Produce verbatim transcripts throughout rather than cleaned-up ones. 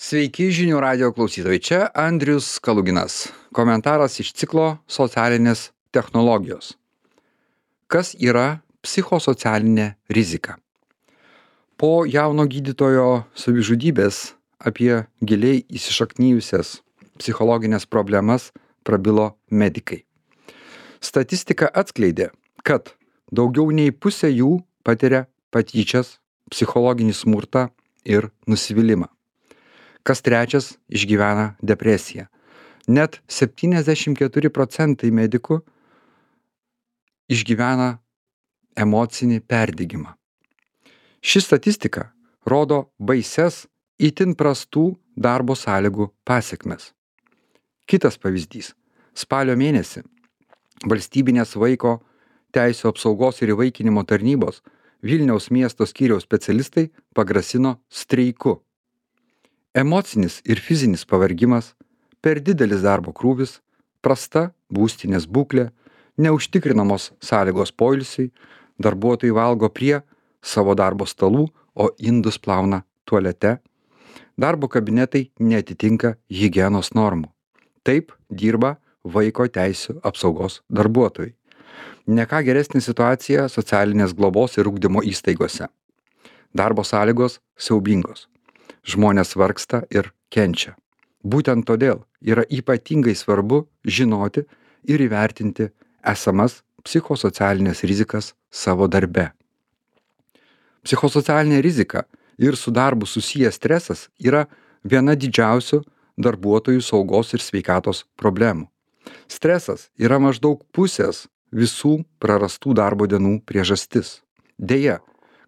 Sveiki žinių radio klausytojai, čia Andrius Kaluginas. Komentaras iš ciklo Socialinės technologijos. Kas yra psichosocialinė rizika? Po jauno gydytojo savižudybės apie giliai įsišaknyjusias psichologinės problemas prabilo medikai. Statistika atskleidė, kad daugiau nei pusė jų patiria patyčias, psichologinį smurtą ir nusivylimą. Kas trečias išgyvena depresiją. Net septyniasdešimt keturi procentai medikų išgyvena emocinį perdegimą. Ši statistika rodo baises itin prastų darbo sąlygų pasekmes. Kitas pavyzdys. Spalio mėnesį valstybinės vaiko teisių apsaugos ir įvaikinimo tarnybos Vilniaus miesto skyriaus specialistai pagrasino streiku. Emocinis ir fizinis pavargimas, per didelis darbo krūvis, prasta būstinės būklė, neužtikrinamos sąlygos poilsiui, darbuotojai valgo prie savo darbo stalų, o indus plauna tualete, darbo kabinetai neatitinka higienos normų. Taip dirba vaiko teisių apsaugos darbuotojai. Ne ką geresnė situacija socialinės globos ir ugdymo įstaigose. Darbo sąlygos siaubingos. Žmonės vargsta ir kenčia. Būtent todėl yra ypatingai svarbu žinoti ir įvertinti esamas psichosocialinės rizikas savo darbe. Psichosocialinė rizika ir su darbu susijęs stresas yra viena didžiausių darbuotojų saugos ir sveikatos problemų. Stresas yra maždaug pusės visų prarastų darbo dienų priežastis. Deja,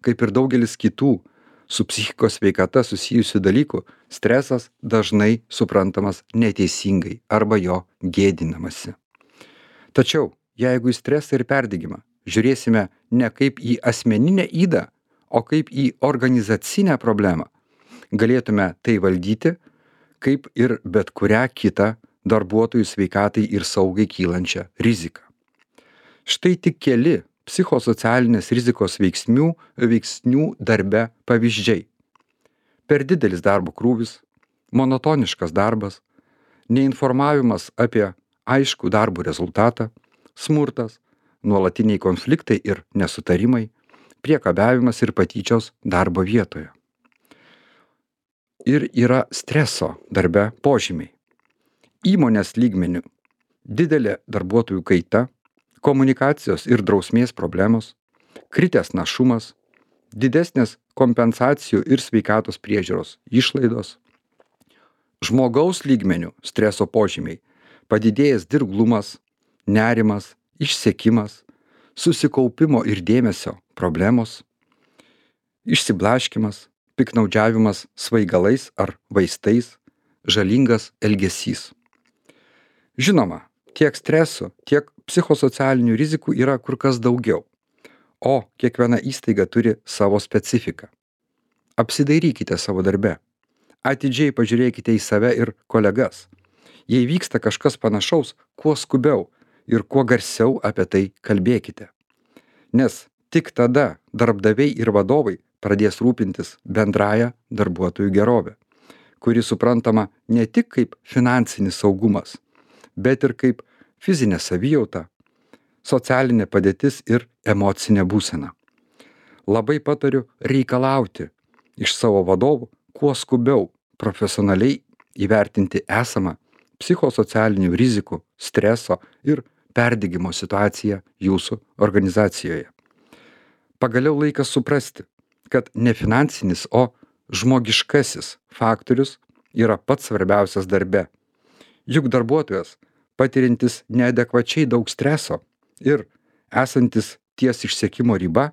kaip ir daugelis kitų su psichikos sveikata susijusių dalykų, stresas dažnai suprantamas neteisingai arba jo gėdinamasi. Tačiau, jeigu į stresą ir perdegimą žiūrėsime ne kaip į asmeninę ydą, o kaip į organizacinę problemą, galėtume tai valdyti kaip ir bet kurią kitą darbuotojų sveikatai ir saugai kylančią riziką. Štai tik keli psichosocialinės rizikos veiksnių, veiksnių darbe pavyzdžiai. Per didelis darbo krūvis, monotoniškas darbas, neinformavimas apie aiškų darbo rezultatą, smurtas, nuolatiniai konfliktai ir nesutarimai, priekabiavimas ir patyčios darbo vietoje. Ir yra streso darbe požymiai. Įmonės lygmenių didelė darbuotojų kaita, komunikacijos ir drausmės problemos, kritęs našumas, didesnės kompensacijų ir sveikatos priežiūros išlaidos, žmogaus lygmenių streso požymiai, padidėjęs dirglumas, nerimas, išsekimas, susikaupimo ir dėmesio problemos, išsiblaškymas, piktnaudžiavimas svaigalais ar vaistais, žalingas elgesys. Žinoma, tiek stresų, tiek psichosocialinių rizikų yra kur kas daugiau, o kiekviena įstaiga turi savo specifiką. Apsidairykite savo darbe. Atidžiai pažiūrėkite į save ir kolegas. Jei vyksta kažkas panašaus, kuo skubiau ir kuo garsiau apie tai kalbėkite. Nes tik tada darbdaviai ir vadovai pradės rūpintis bendraja darbuotojų gerovė, kuri suprantama ne tik kaip finansinis saugumas, bet ir kaip fizinė savijauta, socialinė padėtis ir emocinė būsena. Labai patariu reikalauti iš savo vadovų kuo skubiau profesionaliai įvertinti esamą psichosocialinių rizikų, streso ir perdegimo situaciją jūsų organizacijoje. Pagaliau laikas suprasti, kad ne finansinis, o žmogiškasis faktorius yra pats svarbiausias darbe. Juk darbuotojas, patirintis neadekvačiai daug streso ir esantis ties išsekimo riba,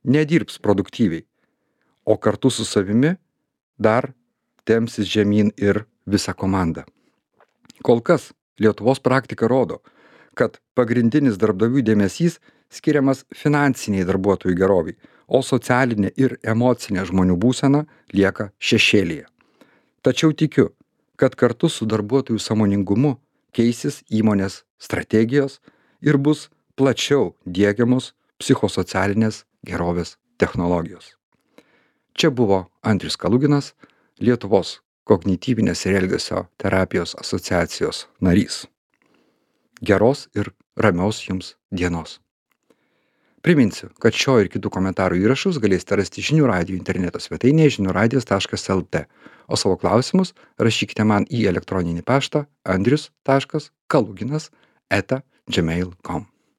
nedirbs produktyviai, o kartu su savimi dar tempsis žemyn ir visa komanda. Kol kas Lietuvos praktika rodo, kad pagrindinis darbdavių dėmesys skiriamas finansiniai darbuotojų geroviai, o socialinė ir emocinė žmonių būsena lieka šešėlyje. Tačiau tikiu, kad kartu su darbuotojų sąmoningumu keisis įmonės strategijos ir bus plačiau diegiamos psichosocialinės gerovės technologijos. Čia buvo Andrius Kaluginas, Lietuvos kognityvinės ir elgesio terapijos asociacijos narys. Geros ir ramios jums dienos. Priminsiu, kad šio ir kitų komentarų įrašus galėsite rasti žinių radijo interneto svetainėje žinių radijas taškas lt, o savo klausimus rašykite man į elektroninį paštą andrius taškas kaluginas eta gmail taškas com.